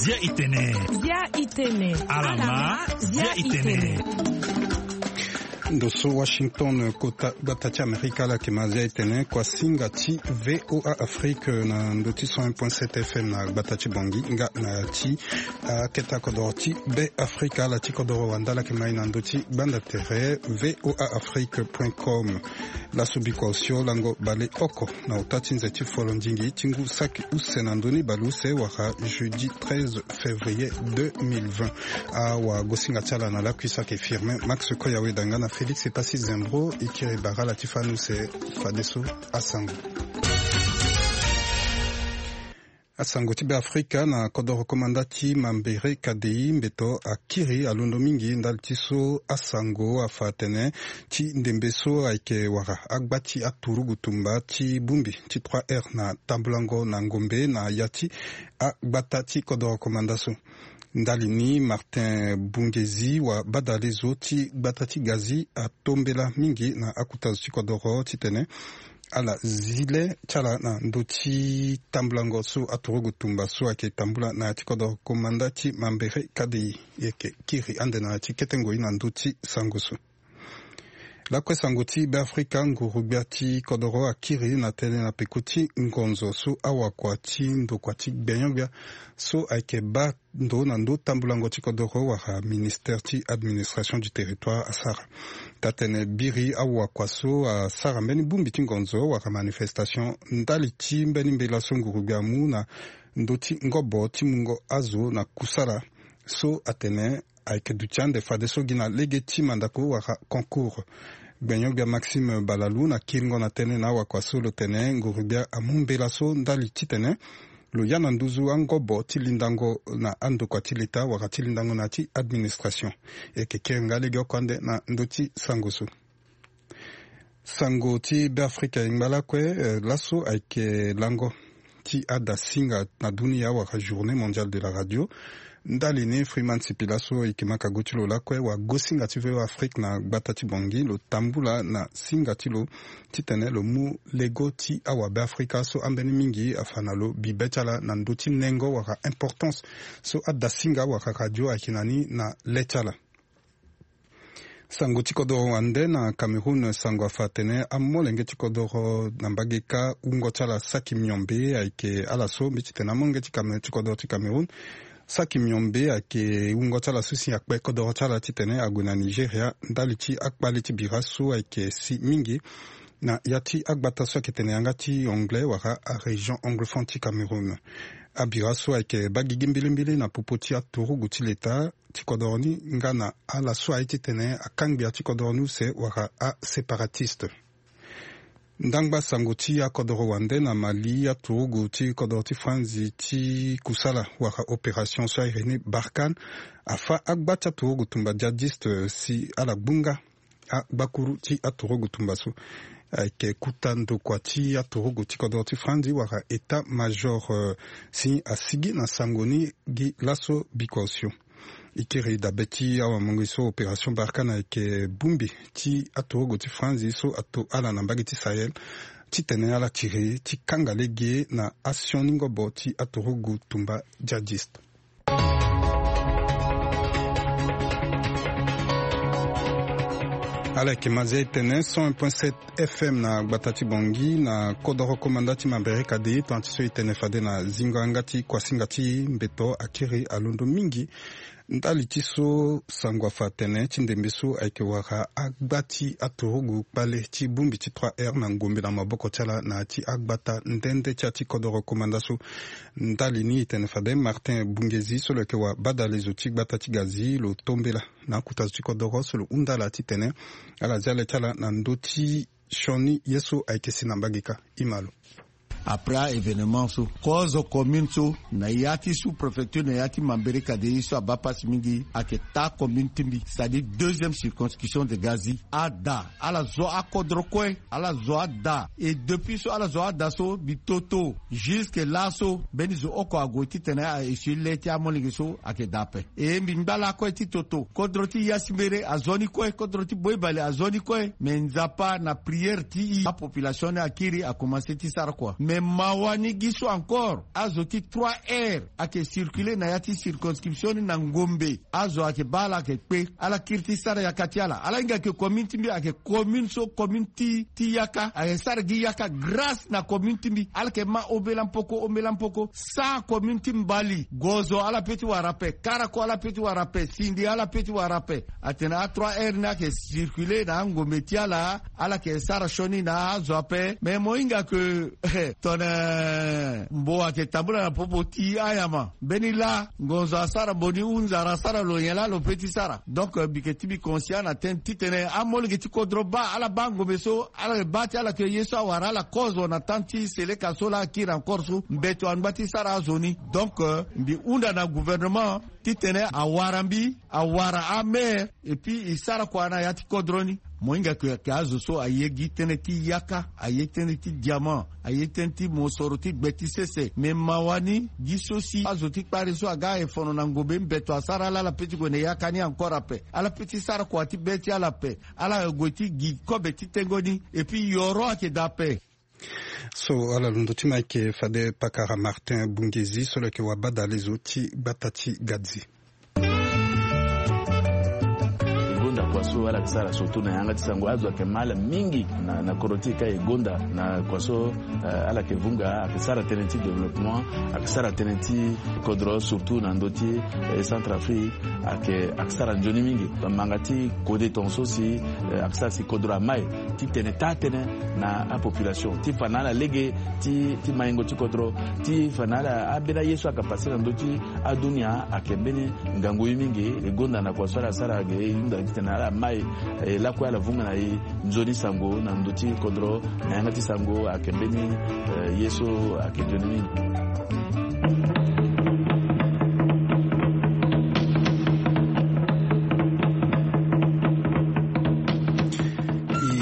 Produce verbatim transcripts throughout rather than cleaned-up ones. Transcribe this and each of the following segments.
Zia itene. Zia itene. Alama. Zia itene. Ndo so Washington, kota gbata ti Amerika, ala yeke ma zia itene. Kua singa ti VOA Afrique na ndo ti cent un point sept F M na gbata ti Bongi nga na ti aketa kodoro ti Be Afrika, ala ti kodoro wande ala yeke ma e na ndo ti gbanda tere voa afrique point com. Laso biko osio lango baleoko na ota ti nze ti folondingi ti ngu saki use na ndö ni baleuse wala jeudi treize février deux mille vingt. Awagosinga ti ala na lakui saki Firmin Max Koyaweda nga na Félix Epassi Zembro. E kiri bara ala ti fani use fadeso asango. Asango ti Be Afrika na kodoro komanda ti Mambere Kadei, mbeto akiri alondo mingi ndali ti so asango afa atene ti ndembe so ayeke wara agba ti aturugu tumba ti bongbi ti trois R na tambulango na ngombe na ya ti agbata ti kodoro komanda so. Ndali ni, Martin Bungezi wa badalezo ti gbata ti Gazi atombela mingi na akuta zo ti kodoro titene ala zi le ti ala na ndö ti tambulango so aturugu tumba so ayeke tambula na ya ti kodoro komanda ti Mambere Kadei. E yeke kiri ande na ya ti kete ngoi na ndö ti sango so. Lakue sango ti Be Afrika, nguru-gbia ti kodoro akiri na tënë na peko ti ngonzo so awakua ti ndokua ti gbenyo-gbia so ayeke baa ndo na ndo tambulango ti kodoro wala ministère ti administration du territoire asara. Taa-tene biri awakua so asara mbeni bongbi ti ngonzo wala manifestation ndali ti mbeni mbela so nguru-gbia amu na ndö ti ngobo ti mungo azo na kusala so atene ayeke duti ande fadeso gi na lege ti mandako wala concours. Gbenyo-gbia Maxime Balalou na kiringo na tënë na awakua so lo tene nguru-gbia amu mbela so ndali titene lo ya na nduzu angobo ti lindango na andokua ti leta wala ti lindango na ya ti administration. E yeke kiri nga legeoko ande na ndö ti sango so. Sango ti Be Afrika e ngba lakue, eh, laso ayeke lango ti adasinga na dunia wala journée mondiale de la radio. Ndali ni Freeman Sipila so e yeke ma kago ti lo lakue, wagosinga ti VOA Afrique na gbata ti Bangui, lo tambula na singa ti lo titene lo mu lego ti awabe Afrika so ambeni mingi afa na lo bibe ti ala na ndö ti nengo wala importance so adasinga wala radio ayeke na ni na le ti ala. Sango ti kodoro wande na Cameroun, sango afa atene amolenge ti kodoro na mbage kâ wungo ti ala saki miombe ayeke ala so mbi titene amolenge ti Came-, ti kodoro ti Cameroun saki miombe ayeke wungo ti ala so si akpe kodoro ti ala titene ague na Nigeria ndali ti akpale ti bira so ayeke si mingi na ya ti agbata so ayeke tene yanga ti anglais wala arégion anglophone ti Cameroun. Abira so ayeke baa gigi mbilimbili na popo ti aturugu ti leta ti kodoro ni nga na ala so aye titene akangbi ya ti kodoro ni use wala aséparatiste. Ndangba sango ti akodoro wande na Mali, aturugu ti kodoro ti Franzi ti kusala wala opération so ahiri ni Barkhane afâ agba ti aturugu tumba djihadiste si ala gbunga agbakuru ti aturugu tumba so. Ayeke kuta ndokua ti aturugu ti kodoro ti Franzi wala état major, eh, si asigi na sango ni gi laso bikua osio. E kiri dabe ti awamonge so opération Barkhane ayeke bongbi ti aturugu ti Franzi so ato ala na mbage ti Sahel titene ala tiri ti kanga lege na asioni ngobo ti aturugu tumba djihadiste. Ala yeke ma zia e tene cent un point sept F M na gbata ti Bangui na kodoro komanda ti Mambere Kadei, tongana ti so e tene fade na zingo yanga ti kuasinga ti mbeto akiri alondo mingi. Ndali ti so sango afa atene ti ndembe so ayeke wara agba ti aturugu kpale ti bongbi ti trois R na ngombe na maboko ti ala na ya ti agbata nde nde ti ya ti kodoro komanda so. Ndali ni e tene fade Martin Bungezi so lo yeke wabadalezo ti gbata ti Gazi lo tombela na akuta zo ti kodoro so lo hunda ala titene ala zia le ti ala na ndö ti sioni ye so ayeke si na mbage kâ. E ma lo. Après a-événement so, kozo commune so na ya ti sous-préfecture na ya ti Mambéré Kadéï so abaa pasi mingi ayeke taa commune ti mbi, c'est-à-dire deuxième circonscription de Gazi. Ada ala zo akodro kue, ala zo ada. Et depuis so ala zo ada so, mbi toto jusque laso mbeni zo oko ague titene a-essuyer le ti amolenge so ayeke daa ape. E mbi ngba lakue ti toto, kodro ti Yasimbere azo ni kue, kodro ti Boibale azo ni kue. Me Nzapa na prière ti e, apopulation ni akiri, akomanse ti sara kua. Me mawa ni gi so encore, azo ti trois R ayeke circuler na ya ti circonscription ni na ngombe. Azo ayeke baa ala ayeke kpe, ala kiri ti sara yaka ti ala. Ala hinga ke commune ti mbi ayeke commune so commune ti, ti yaka, ayeke sara gi yaka grâce na commune ti mbi. Ala yeke ma ombela mpoko, ombela mpoko. Sa commune ti Mbali, gozo ala pe ti wara ape, karako ala pe ti wara ape, sindi ala pe ti wara ape. Atene a trois R ni ayeke circuler na angombe ti ala, ala yeke sara sioni na azo ape. Mais mo hinga ke tongana mbo ayeke tambula na popo ti anyama, mbeni laa ngonzo asara mbo ni, hunzara asara lo nyen laa lo pe ti sara. Donc, euh, mbi yeke ti mbi conscient na tënë titene amolenge ti kodro baa, ala baa ngombe so, ala baa ti ala ke ye so awara ala kozo na temps ti Seleka so laa akiri encore so, mbeto angba ti sara azo ni. Donc, euh, mbi hunda na gouvernement titene awara mbi, awara amaire, et puis e sara kua na ya ti kodro ni. Mo hinga ke, ke azo so aye gi tënë ti yaka, aye tënë ti diamant, aye tënë ti mosoro ti gbe ti sese. Me mawa ni gi so si azo ti kpari so aga aye fono na ngombe, mbeto asara ala, ala pe ti gue na yaka ni encore ape. Ala pe ti sara kua ti be ti ala ape. Ala gue ti gi kobe ti tengo ni. Et puis yoro ayeke daa ape. So ala londo ti ma ayeke fade pakara Martin Bungezi so lo yeke wabadale zo ti gbata ti Gadzi. E gonda kua so ala yeke sara surtout na yanga ti sango, azo ayeke ma ala mingi na, na kodro ti e ka e gonda na kua so, eh, ala yeke vunga, ayeke sara tënë ti développement, ayeke sara tënë ti kodro surtout na ndö ti, eh, Centrafrique. Ayeke, ayeke sara nzoni mingi. Manga ti kode tongaso si, eh, ayeke sara si kodro amai titene taa tënë na apopulation ti fa na ala lege ti, ti maingo ti kodro, ti fa na ala, ambeni aye so ayeke pase na ndö ti adunia ayeke mbeni ngangu ye mingi. E gonda na kua so ala sara ge, e hunda titene ala mai, eh, lakue ala vunga na e nzoni sango na ndö ti kodro, na yanga ti sango ayeke mbeni, eh, ye so ayeke nzoni mingi.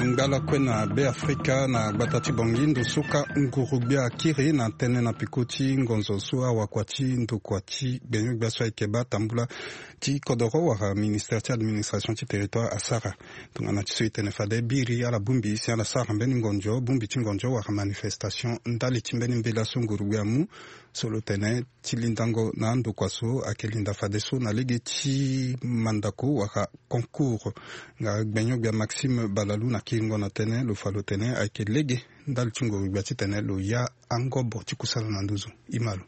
E ngba lakue na Be Afrika na gbata ti Bangui, ndo so ka nguru-gbia akiri na tënë na peko ti ngonzo so awakua ti ndokua ti gbenyo-gbia so ayeke baa tambula ti kodoro wala ministère ti administration ti territoire asara. Tongana ti so e tene fade biri ala bongbi si ala sara mbeni ngonzo, bongbi ti ngonzo wala manifestation ndali ti mbeni mbela so nguru-gbia amu. So lo tene ti lindango na andokua so ayeke linda fadeso na lege ti mandako wala concours. Nga gbenyo-gbia Maxime Balalou na kiringo na tënë lo fa lo tene ayeke lege ndali ti nguru-gbia titene lo ya angobo ti kusala na nduzu. E ma lo.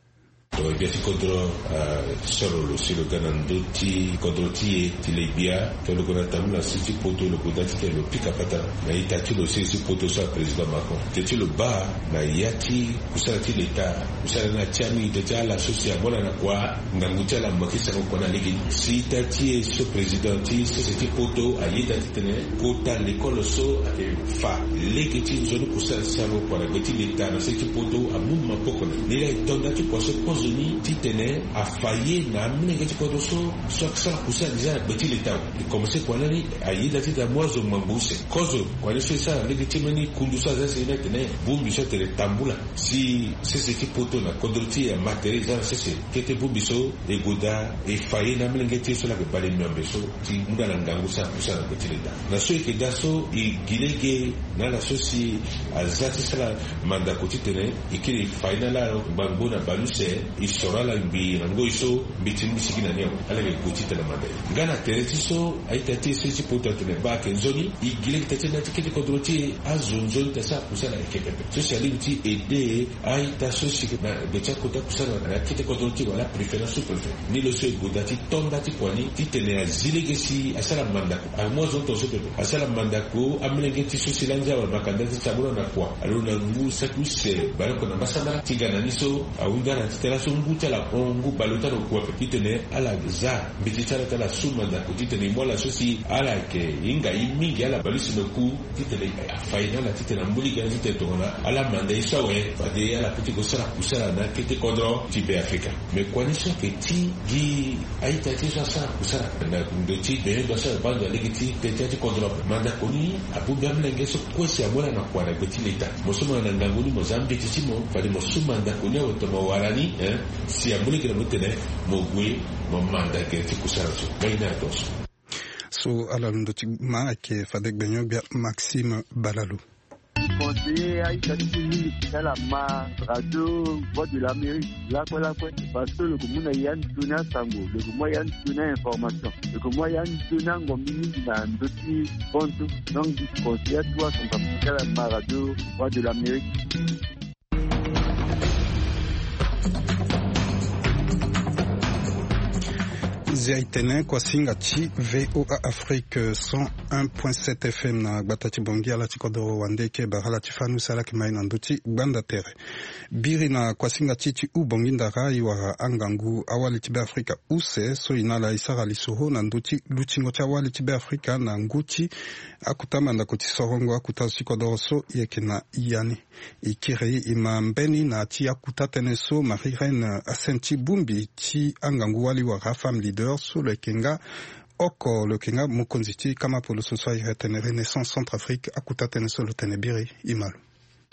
Gbia ti kodro, ah, soro lo si lo ga na ndö ti kodro ti e ti le gbia. Tongana lo gue na tambula na se ti poto, lo gue daa titene lo pika patara na ita ti lo, se ti poto so aprésident Macron. Teti lo baa na ya ti kusala ti leta, kusala ni atia mingi. Teti ala so si amona na kua ngangu ti ala mo yeke sango kua na lege ni. Si ita ti e so président ti sese ti poto ayeda titene kota lekolo so ayeke fa lege ti nzoni kusala ti sango kua na gbe ti leta na se ti poto amu maboko na ni. Ni laa e to nda ti kua so kozo ni titene afa ye na amolenge ti kodro so, so ayeke sara kusala déjà na gbe ti leta awe. E komanse kua lani ayeda titene amu azo ngbangbo use. Kozo kua ni so e sara lege ti mbeni kundu so aza si ni atene bongbi so atene tambula si sese ti poto na kodro ti e ama tere e za na sese. Kete bongbi so e gue daa e fa ye na amolenge ti e so laa ayeke bale miombe so ti mu na ala ngangu sara kusala na gbe ti leta. Na so e yeke daa so e gi lege na ala so si aza ti sara mandako titene e kiri e fa ye na ala ngbangbo na baleuse, e soro ala ngbii na ngoi so mbi ti mu sigi na ni awe. Ala yeke gue titene amanda e nga na tere ti so a-ita ti e so ti poto atene baa ayeke nzoni. E gi lege taa ti na ya ti kete kodro ti e azo nzoni ti asara kusala ayeke pepe. So si alingbi ti aide a-ita so si na gbe ti akota kusala na ya kete kodro ti e wala préfet na sous-préfet. Ni lo so e gue daa ti to nda ti kua ni titene azi lege si asara mandako. Amu azo tongaso pepe. Asara mandako amolenge ti so si laa ndia wala makanda ti ti abula na kua. Alo na ngu saki use baleoko na mbasambala ti ga na ni so ahunda na ti tara So ngu ti ala hon ngu baleota na oku ape titene ala za mbeti ti ala ti ala su mandako titene e mu ala so si ala yeke hinga ye mingi ala baleuse na oku titene afa ye na ala titene amu lege na ala titene tongana ala manda ye so awe fade ala peut ti kosara kusara na akete kodro ti Be Afrika. Me kua ni so ayeke ti gi a-ita ti ye so asara kusara na ndo ti bein do asara banza lege ti teti ya ti kodro ape mandako ni abongbi amolenge so kue si amu ala na kua na gbe ti leta. Mo so mo na na ngangu ni mo za mbeti ti mo fade mo su mandako ni awe tongana mo wara ni si amu lege na mo titene mo gue mo manda gere ti kusara so. Ngai na ato so. So ala londo ti ma ayeke fade gbenyo-gbia Maxime Balalo. Conseiller a-ita ti e mingi ti ala ma radio Voix de l'Amérique lakue lakue. Parce que lo yeke mu na ya ni toni asango, lo yeke mu ya ni toni a-information, lo yeke mu ya ni toni angombi mingi na ndö ti bantu. Donc conseiller atu asango ti ala ma radio Voix de l'Amérique. Zia e tene kuasinga ti VOA Afrique cent un point sept F M na gbata ti Bangui ala ti kodro wande eke bara ala ti fâ ni use ala yeke ma e na ndö ti gbanda tere. Biri na kuasinga ti e ti hou Bangui ndara e wara angangu awali ti Be Afrika use so e na ala e sara lisoro na ndö ti lutingo ti awali ti Be Afrika na ngu ti akota mandako ti sorongo akota zo ti kodoro so e yeke na ya ni. E kiri e ma mbeni na ya ti akota tënë so Marie Reine Assenty Bumbi ti angangu wali wara afemme leader so lo yeke nga oko lo yeke nga mokonzi ti kama poloso so ayeke tene Renaissance Centrafrique akota tënë so lo tene biri e ma lo.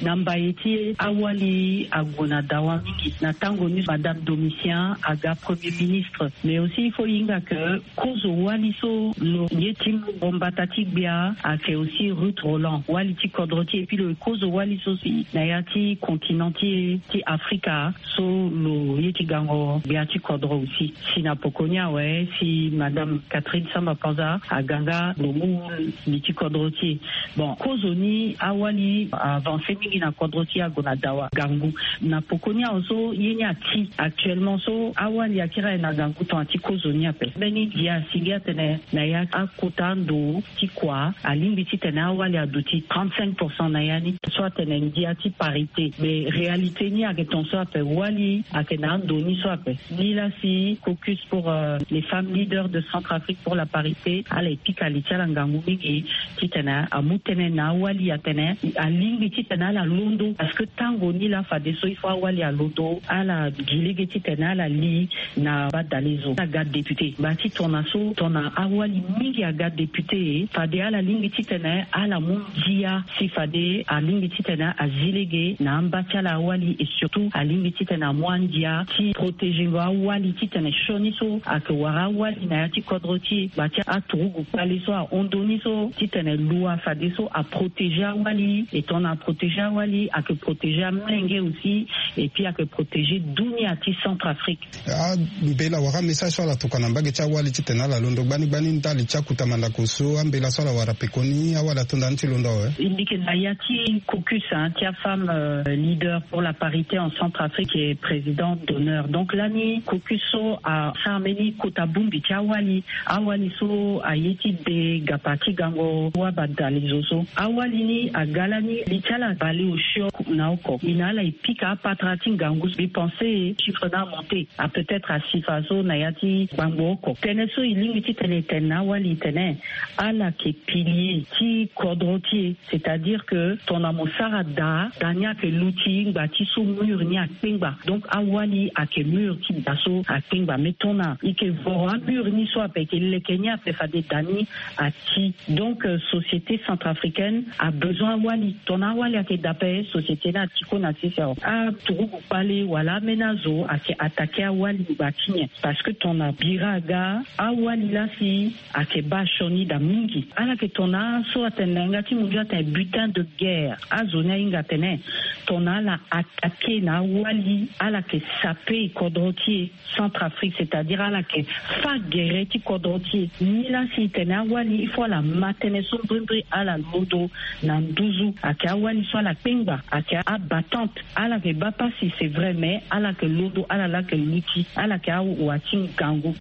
Na mbaye ti e awali ague na dawa mingi na tango ni madame Domitien aga premier ministre, mais aussi il faut e hinga ke kozo wali so lo ye ti mu mbata ti gbia ayeke aussi Ruth Roland wali ti kodro ti e, epui lo ye kozo wali so si na ya ti continent ti e ti Afrika so lo ye ti gango gbia ti kodro aussi. Si na poko ni awe si madame Catherine Samba Panza aga nga lo mu li ti kodro ti e. Bon, kozoni awali avance mingi na kodro ti e ague na dawa gangu. Na poko ni awe so ye ni ati actuellement so awali akiri aye na gangu tongana ti kozoni ape. Mbeni ndia asi gi atene na ya akota ando ti kua alingbi titene awali aduti trente-cinq pour cent na ya ni so atene ndia ti parité. Mais réalité ni ayeke ton so ape wali ayeke na ando ni so ape. Ni laa si caucus pour les femmes leaders de Centrafrique pour la parité ala ye pika li ti ala ngangu mingi titene amu tënë na awali atene alingbi titene ala londo parce que tango ni laa fadeso il faut awali alondo ala gi lege titene ala li na badalezo aga député ngba ti tona so tona awali mingi aga député fade ala lingbi titene ala mu ndia si fade alingbi titene azi lege na amba ti ala awali et surtout alingbi titene amu andia ti protéger ngo awali titene sioni so ayeke wara awali na ya ti kodro ti e ngba ti aturugu kpale so ahon ndoni so titene lua fadeso aprotéger awali et tongana aprotéger awali ayeke protéger amolenge aussi et puis ayeke protéger dunia ti Centrafrique. Ambela wala message so ala tokua na mbage ti awali titene ala londo gbani gbani ndali ti akota mandako so ambela so ala wara pekoni awali ato ndani ti londo awe. E mbi yeke na ya ti caucus ti afemme leader pour la parité en Centrafrique et présidente d'honneur. Donc lani caucus so asara mbeni kota bongbi ti awali awali so aye ti de gapa ti gango wabadalezo so awali ni aga lani li ti ala baleosio na oko e na ala e pika apatara ti ngangu so mbi pense chiffre ni amonte a peut-être asi fa so na ya ti gbangbo oko tënë so e lingbi titene e tene na awali e tene ala yeke pilier ti kodro ti e. C'est-à-dire que tongana mo sara daa daa ni ayeke luti ngba ti so mur ni akpengba donc awali ayeke mur ti daa so akpengba mais tongana e yeke voro amur ni so ape e yeke leke ni ape fade daa ni ati. Donc société centrafricaine a besoin awali tongana awali ayeke daa ape société ni ati kue na sese awe aturugu kpale wala ameni azo ayeke attaquer awali ngba ti nyen? Parce que tongana bira aga awali laa si ayeke baa sioni daa mingi ala yeke tongana so atene na yanga ti munzu atene butin de guerre azo ni ahinga atene tongana ala attaquer na awali ala yeke sape kodro ti e Centrafrique c'est-à-dire ala yeke fa gere ti kodro ti e ni laa si e tene awali il faut ala ma tënë so mbrimbri ala londo na nduzu ayeke awali so ala kpengba ayeke abattante ala yeke baa pasi c'est vrai mais ala yeke londo ala laa yeke luti ala yeke awa ti ngangu.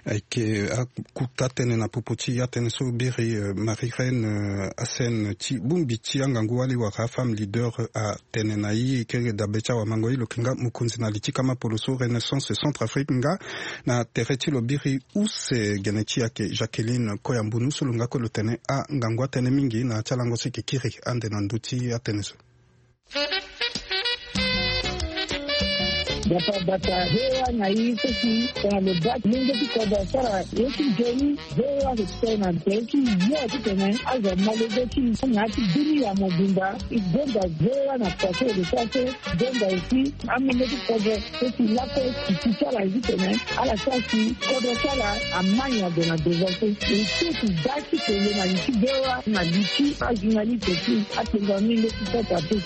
Ayeke akuta tënë na popo ti atënë so biri Marie Reine Hassen ti bongbi ti angangu wali wala afemme leader atene na ye kereke dabe ti awamango ye lo yeke nga mokonzi na li ti kama polo so Renaissance Centrafrique nga na tere ti lo biri use gene ti ayeke Jacqueline Koyambunu so lo nga kue lo tene angangu atënë mingi na ya ti alango so eke kiri ande na ndö ti atënë so. Bata bata hewa na i seki tena lo bati lenge ti kodro asara ye ti nzoni. Hewa ke tena tena ti yo ti tena azo malege ti na ti dunia mobimba. I gonda hewa na pase de sase. Gonda aussi amenge ti kodro seki lako ti ti sara ye ti tena ala sara ti kodro sara amania de na devance. E seki da ti kele na li ti hewa na li ti ajournaliste ti atenga mingi ti sota te.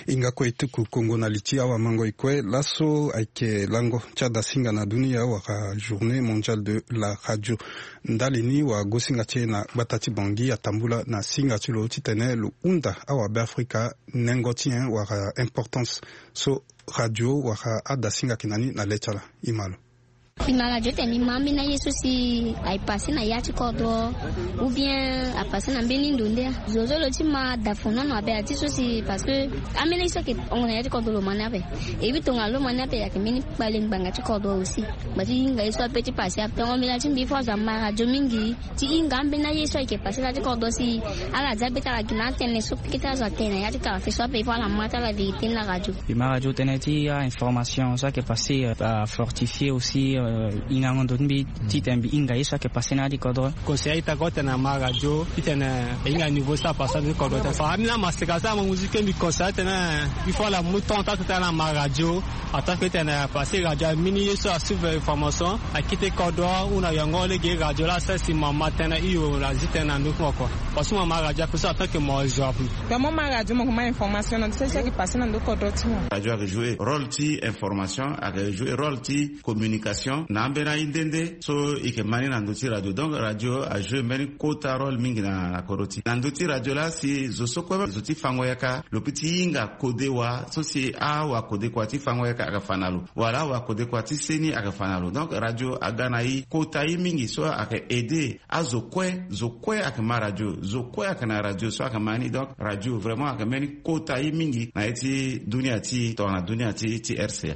Hinga kue e tuku kongo na li ti awamango e kue laso ayeke lango ti adasinga na dunia wala journée mondiale de la radio. Ndali ni wagosinga ti e na gbata ti Bangui atambula na singa ti lo titene lo hunda awabeafrika nengo ti nyen wala importance so radio wala adasinga ayeke na ni na le ti ala. E ma lo. E ma radio tene e ma ambeni aye so si aye passe na ya ti kodro ou bien apasse na mbeni ndo nde. Zo so lo ti ma dafonono abe ati so si parce que ambeni aye so ayeke hongo na ya ti kodro lo ma ni ape. E wi tongana lo ma ni ape ayeke mbeni kpale ngbanga ti kodro aussi. Gba ti hinga ye so ape ti passe ape tongo mbela ti mbi fo azo ama radio mingi ti hinga ambeni aye so ayeke passe na ya ti kodro si ala za be ti ala gi na atene so kete azo atene na ya ti karafe so ape fo ala ma ti ala vérité na radio. E ma radio tënë ti a information so ayeke passe afortifie aussi hingango ndo ti mbi titene mbi hinga ye so ayeke passe na ya ti kodro. Conseil ita ko tene ama radio titene e hinga niveau so apasse na ya ti kodro te fa ambeni amaseka so ama musique mbi conseil tene il faut ala mu temps ata tene ama radio. Attaque tene parce que radio amini ye so asuivre information akite kodro ou na yongo lege radio la sara si mama tene hio na zi tene na ndö ti mo kua. Parce que mama radio ape so attaque mo zo ape. Tongana mo ma radio mo ko ma information na ndö ti sese ayeke passe na ndö kodro ti mo. Radio ayeke jouer rôle ti information, ayeke jouer rôle ti communication na ambeni aye nde nde so e yeke ma ni na ndö ti radio. Donc radio ajouer mbeni kota rôle mingi na kodro ti na ndö ti radio la si zo so kue zo ti fango yaka lo peut ti hinga kode wa so si awa kode kua ti fango yaka ayeke fa na lo wala awa kode kua ti seni ayeke fa na lo. Donc radio aga na e kota ye mingi so ayeke aider azo kue zo kue ayeke ma radio zo kue ayeke na radio so ayeke ma ni. Donc radio vraiment ayeke mbeni kota ye mingi na ye ti dunia ti tongana dunia ti ti R C A.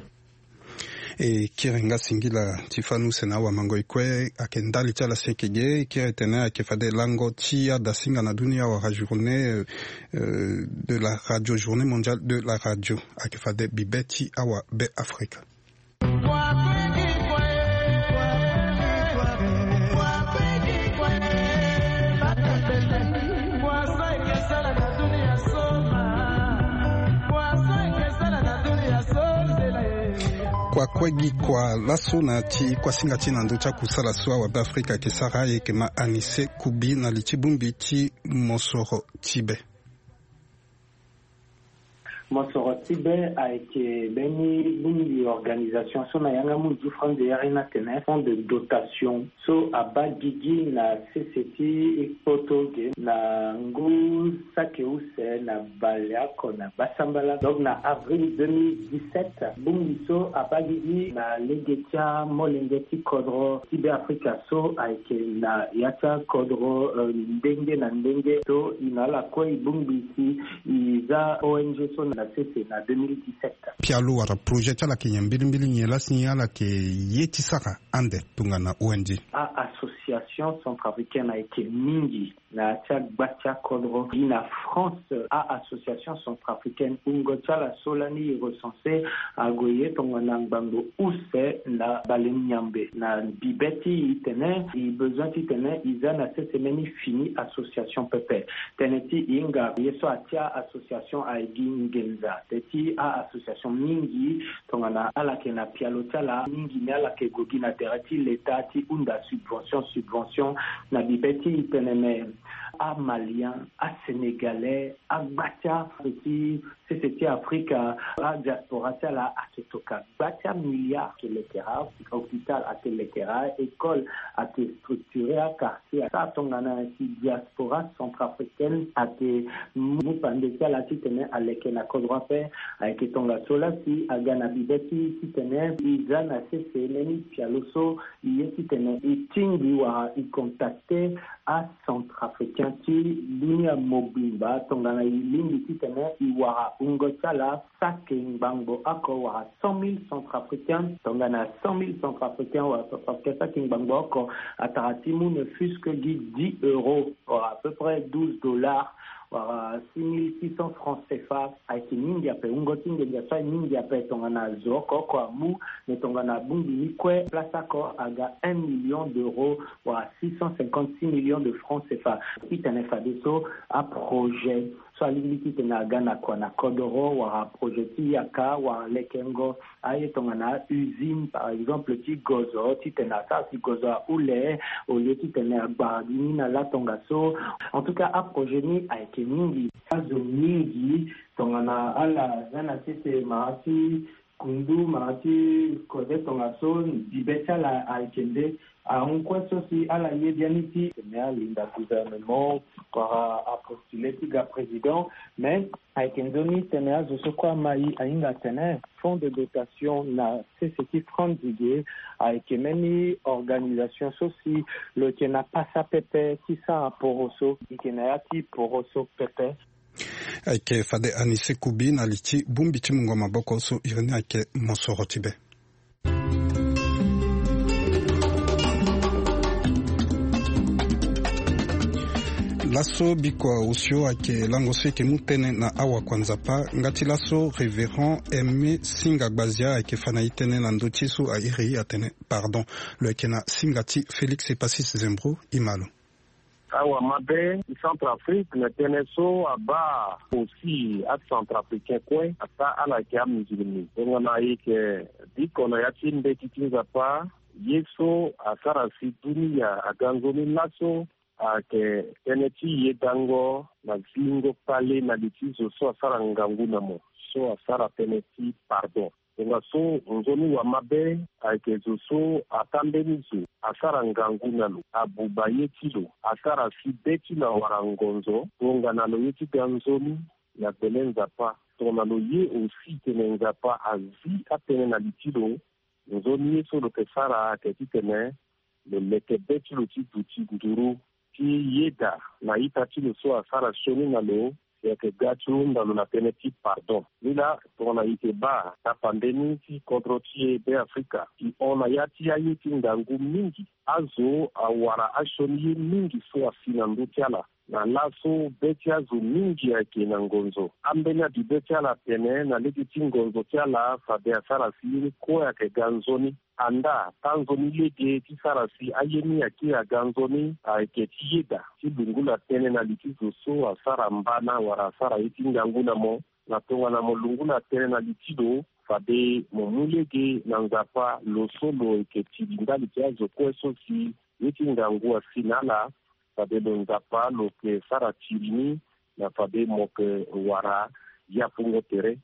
E kiri nga singila ti fani use na awamango e kue ayeke ndali ti ala si ayeke ge e kiri tene ayeke fade lango ti adasinga na dunia wala journée de la radio, journée mondiale de la radio, ayeke fade bibe ti awabeafrika. Kua kue gi kua laso na ti kuasinga ti na ndö ti akusala so awabeafrika ayeke sara ayeke ma anise kubi na li ti bongbi ti mosoro ti be. Mosoro ti be ayeke mbeni bongbi organisation so na yanga munzu ti France de yari ni atene fonds de dotation so abaa gigi na sese ti kpoto ge na ngu saki use na baleoko na gbasambala donc na avril deux mille dix-sept. Bongbi so abaa gigi na lege ti amolenge ti kodro ti be afrika so ayeke na ya ti akodro ndenge na ndenge so e na ala kue e bongbi si e za O N G so na sese na deux mille dix-sept. Pialo wala projet ti ala ayeke nyen mbilimbili nyen lasi ala yeke ye ti sara ande tongana O N G? A-association centrafricaine ayeke mingi na ya ti agba ti akodro gi na France. A-association centrafricaine wungo ti ala so lani e recense ague ye tongana ngbangbo use na bale nyambe na bibe ti e tene e besoin titene e za na sese mbeni fini association pepe. Tënë ti e hinga ye so atia association aye gi nginza te ti a-association mingi tongana ala yeke na pialo ti ala mingi ni ala yeke gue gi na tere ti leta ti hunda subvention subvention na bibe ti e tene me Amalien, asénégalais, agba ti afrika ti sese ti afrika, adiaspora ti ala ayeke toka gba ti amiliard. Ayeke lekera hôpital, ayeke lekera école, ayeke structure aquartier. Asara tongana si diaspora centrafricaine ayeke mu pande ti ala titene aleke na kodro ape. Ayeke tongaso laa si aga na bibe ti titene e za na sese mbeni pialo so e ye titene e tingbi wala e contacte acentrafricain ti dunia mobimba tongana e lingbi titene e wara wungo ti ala saki ngbangbo oko wala cent mille centrafricain. Tongana cent mille centrafricain wala centrafricain saki ngbangbo oko, atara ti mu ne fût-ce que gi dix euros wala à peu près douze dollars wala six mille six cents francs cfa. Ayeke mingi ape, wungo ti nginza so aye mingi ape. Tongana zo oko oko amu, me tongana abongbi ni kue, place oko aga un million d'euros wala six cent cinquante-six millions de francs cfa. Titene fadeso aprojet so alingbi titene aga na kua na kodoro wala projet ti yaka wala lekengo aye tongana usine par exemple ti gozo titene asara si gozo ahule au lieu titene agbara gi ni na latongaso. En tout cas aprojet ni ayeke mingi. Azo mingi tongana ala za na sese mara ti kundu mara ti kode tongaso bibe ti ala ayeke nde ahon kue so si ala ye biani ti tene alinda gouvernement wala apostule ti ga président. Mais ayeke nzoni tene azo so kue ama e ahinga atene fonds de dotation na sese ti franc nzege ayeke mbeni organisation so si lo yeke na pasa pepe ti sara poro so e yeke na ya ti poro so pepe. Ayeke fade Anise Kubi na li ti bongbi ti mungo maboko so iri ni ayeke mosoro ti be. Laso bikua osio ayeke lango so e yeke mu tënë na awakua Nzapa. Nga ti laso Révérend Aimé Singa Gbazia ayeke fa na e tënë na ndö ti e so a iri atene pardon. Lo yeke na singa ti Félix Epasis Zembro. E ma lo. Awa mabe ti Centrafrique na tënë so abaa aussi aCentrafricain kue ata ala yeke amusulmi. Tongana e yeke biko na ya ti mbeti ti Nzapa, ye so asara si dunia aga nzoni laso ayeke tënë ti yedango na zingo kpale na li ti zo so asara ngangu na mo, so asara tënë ti pardon. Tongaso nzoni wa mabe ayeke zo so ata mbeni zo asara ngangu na lo, abuba ye ti lo, asara si be ti lo awara ngonzo, tongana lo ye ti ga nzoni na gbele Nzapa. Tongana lo ye aussi tene Nzapa azi atënë na li ti lo, nzoni ye so lo yeke sara ayeke titene lo leke be ti lo ti duti nduru ti yeda na ita ti lo so asara sioni na lo, si ayeke ga ti hunda lo na tënë ti pardon. Ni laa tongana e yeke baa tapande ni ti kodro ti e Beafrika, e hon na ya ti aye ti ngangu mingi. Azo awara asioni ye mingi so asi na ndö ti ala. Na laso be ti azo mingi ayeke na ngonzo. Ambeni abibe ti ala atene na lege ti ngonzo ti ala fade asara si ye ni kue ayeke ga nzoni. Andaa tanzoni lege ti sara si aye ni akiri aga nzoni ayeke ti yeda ti lungula tënë na li ti zo so asara mbana wala asara ye ti ngangu na mo. Na tongana mo lungula tënë na li ti lo, fade mo mu lege na Nzapa lo so lo yeke tiri ndali ti azo kue so si ye ti ngangu asi na ala. Fade lo Nzapa lo yeke sara tiri ni na fade mo yeke wara yapungo tere.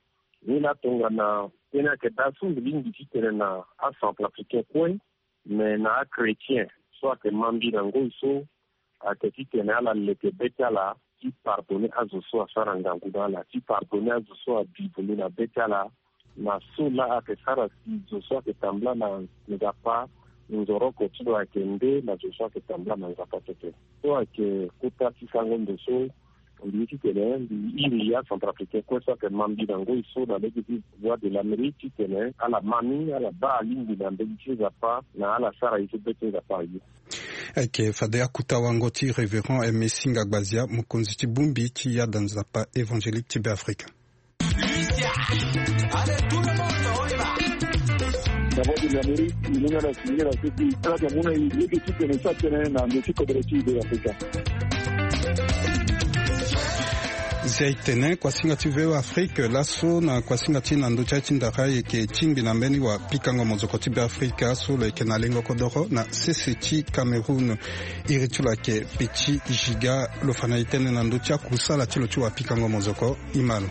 Ni laa tongana tënë ayeke daa so mbi lingbi ti tene na aCentrafricain kue, me na achrétien so ayeke ma mbi na ngoi so, ayeke titene ala leke be ti ala ti pardonner azo so asara ngangu na ala, ti pardonner azo so abi vundu na be ti ala, na so laa ayeke sara si zo so ayeke tambula na Nzapa nzoroko ti lo ayeke nde na zo so ayeke tambula na Nzapa pepe. So ayeke kota ti sango ndo so mbi ye titene mbi iri aCentrafricain kue so ayeke ma mbi na ngoi so na lege ti Voix de l'Amérique titene ala ma ni, ala baa alingbi na mbeti ti Nzapa na ala sara ye so be ti Nzapa aye. Ayeke fade akuta wango ti Révérend Aimé Singa Gbazia, mokonzi ti bongbi ti yada Nzapa évangélique ti Beafrika. Si aye tene kuasinga ti V O A Afrique laso na kuasinga ti na ndö ti aye ti ndara, e yeke tingbi na mbeni wapikango mozoko ti Beafrika so lo yeke na lengo kodoro na sese ti Cameroun. Iri ti lo ayeke Petit Giga. Lo fa na e tënë na ndö ti akusala ti lo ti wapikango mozoko. E ma lo.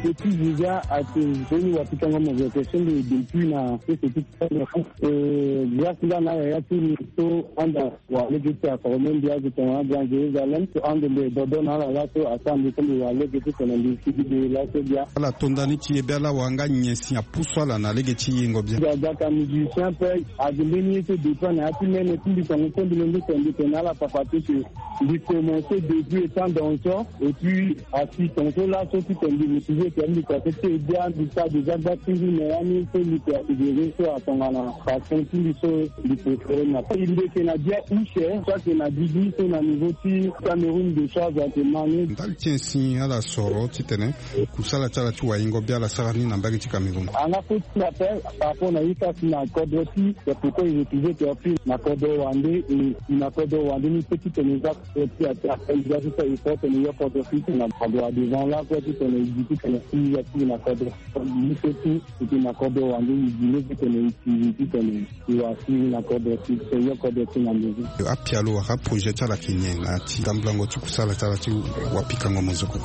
Petit Giga ayeke mbeni wapikango mozoko so mbi depuis na sese ti Cameroun. E, grâce nga na yaya ti mbi so anda wa lege ti aforme mbi azo tongana Grand Jérusalem so ande mbi dodo na ala laso asara mbi so mbi wa lege ti tene mbi sigi de laso bia. Ala to ndani ti ye bia la wanga nyen si apusu ala na lege ti yengo bia. Aga ka musicien ape. Agi mbeni ye so dépend na ya ti mene ti mbi tongo so mbi lenge tene mbi tene ala papa ti ke mbi commencé depuis étant danseur. Et puis assistant so laso ti tene mbi motivé tene mbi kua so ti e bia mbi sara déjà gba ti mbi na ya ni so mbi ke asidéré so atongana passion ti mbi so mbi préféré na mbi ke na bia use so ake na didi so na niveau ti Cameroun de charge ake mani. Ndali ti e si ala soro ti tene kusala ti ala ti wayengo bia ala sara ni na mbage ti Cameroun. Anga fo ti na pe par rapport na ye so asi na kodro ti e pourquoi e refuser ti afi na kodro wande e na kodro wande ni so ti tene za ti ati ape za ti so e fo tene yo kodro fi tene na kodro devant la kue ti tene e gi ti tene si ya ti na kodro. Ni so ti e ti na kodro wande e gi ni so tene e ti e ti tene e wa si na kodro ti so yo kodro ti na ndezi. Apialo wala projet ti ala ayeke nyen na ti tambulango ti kusala ti ala ti wapikango mozoko.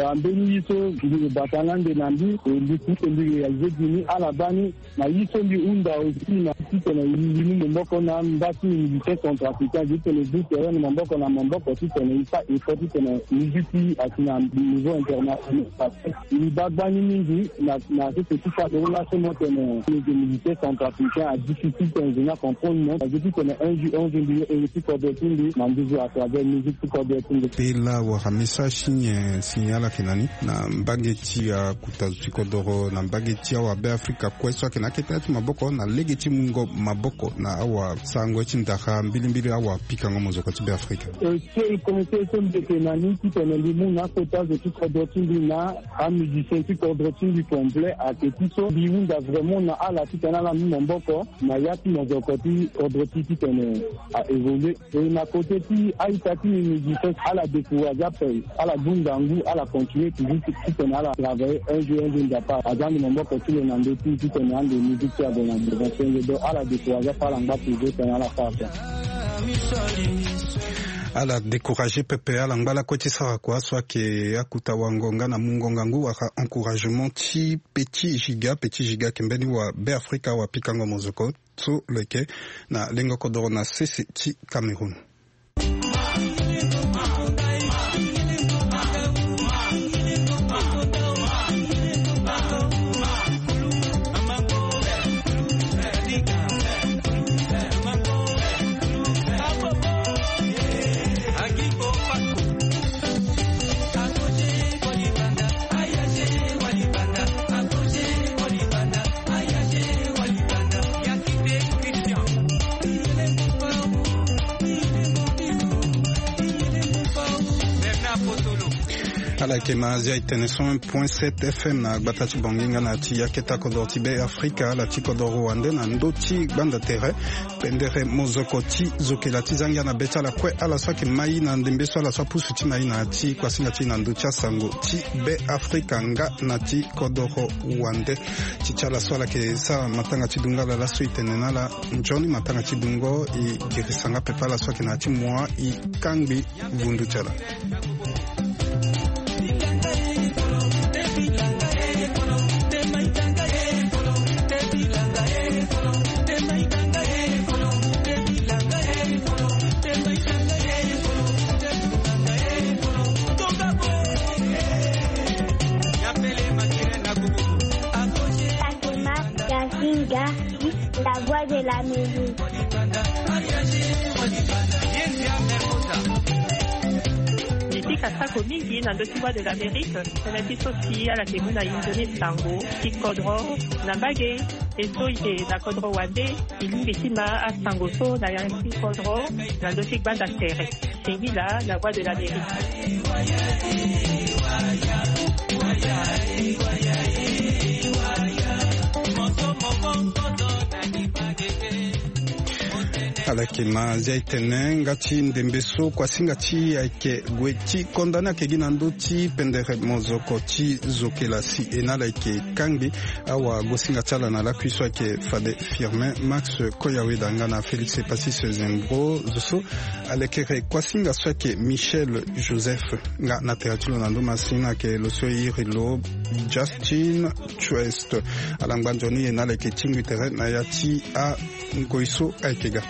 Ambeni ye so mbi bata nga nde na mbi e mbi ti e mbi réalisé gi ni ala baa ni. Na ye so mbi hunda aussi na titene mbi mu maboko na mba ti musicien centrafricain titene mbi tere na maboko na maboko titene mbi sara effort titene musique ti asi na niveau international. Mbi baa gbani mingi na na sese ti fade laso mo tene mbi yeke musicien centrafricain a difficile titene mbi na comprendre mo. Azo titene un jour un jour mbi ye iri ti kodro ti mbi na nduzu à travers musique ti kodro ti mbi. Pe la wala message ti nyen si ala yeke na ni na mbage ti akuta zo ti kodoro na mbage ti awabe afrika kue so ayeke na akete ya ti maboko na lege ti mungo maboko na awasarango ye ti ndara mbilimbili awapikango mozoko ti be afrika. Seul conseil so mbi yeke na ni titene mbi mu na akota zo ti kodro ti mbi na amusicien ti kodro ti mbi complet ayeke ti so mbi hunda vraiment na ala titene ala mu maboko na ya ti mozoko ti kodro ti titene a évoluer. E na kote ti a-ita ti mbi mbi gi so ala décourage ape, ala gbu ngangu, ala continuer toujours ti titene ala travailler un jour un jour nzapa aza ande maboko ti lo na ndö ti titene ande musique ti ague na devant senge. Donc ala décourage ape, ala ngba toujours titene ala fâ ape. Ala décourage pepe, ala ngba lakue ti sara kua so ayeke akuta wango nga na mungo ngangu wala encouragement ti Petit Giga. Petit Giga ayeke mbeni wa be afrika wapikango mozoko so lo yeke na lengo kodoro na sese ti Cameroun. Ala yeke na Azia e tene cent un point sept F M na gbata ti Bangui nga na ya ti akete kodoro ti be afrika, ala ti kodoro wande na ndö ti gbanda tere pendere mozoko ti zokela ti zangia na be ti ala kue, ala so ayeke mai na ndembe so ala so apusu ti mai na ya ti kuasinga ti na ndö ti asango ti be afrika nga na ti kodoro wande. Ti ti ala so ala yeke sara matanga ti dungo ala laso e tene na ala nzoni matanga ti dungo e girisa nga pepe ala so ayeke na ya ti mua e kangbi vundu ti ala. Gasinga, la voix de l'Amérique. Mbi pika sako mingi na ndö ti Voix de l'Amérique, tënë ti so si ala yeke mu na e nzoni sango ti kodro na mbage. E so e yeke na kodro wande, e lingbi ti ma asango so na ya ti kodro na ndö ti gbanda tere. Singila, la voix de l'Amérique. Ayeke ma zia etene nga ti ndembe so kuasinga ti ayeke gue ti konda ni ayeke gi na ndö ti pendere mozoko ti zokela si e na ala yeke kangbi awagosinga ti ala na lakui so ayeke fade Firmin Max Koyaweda nga na Félix Epasis Zembro zo so alekere kuasinga so ayeke Michel Joseph. Nga na tere ti lo na ndö masina ayeke lo so e iri lo Justin Chuest. Ala ngba nzoni e na ala yeke tingbi tere na ya ti angoi so ayeke ga.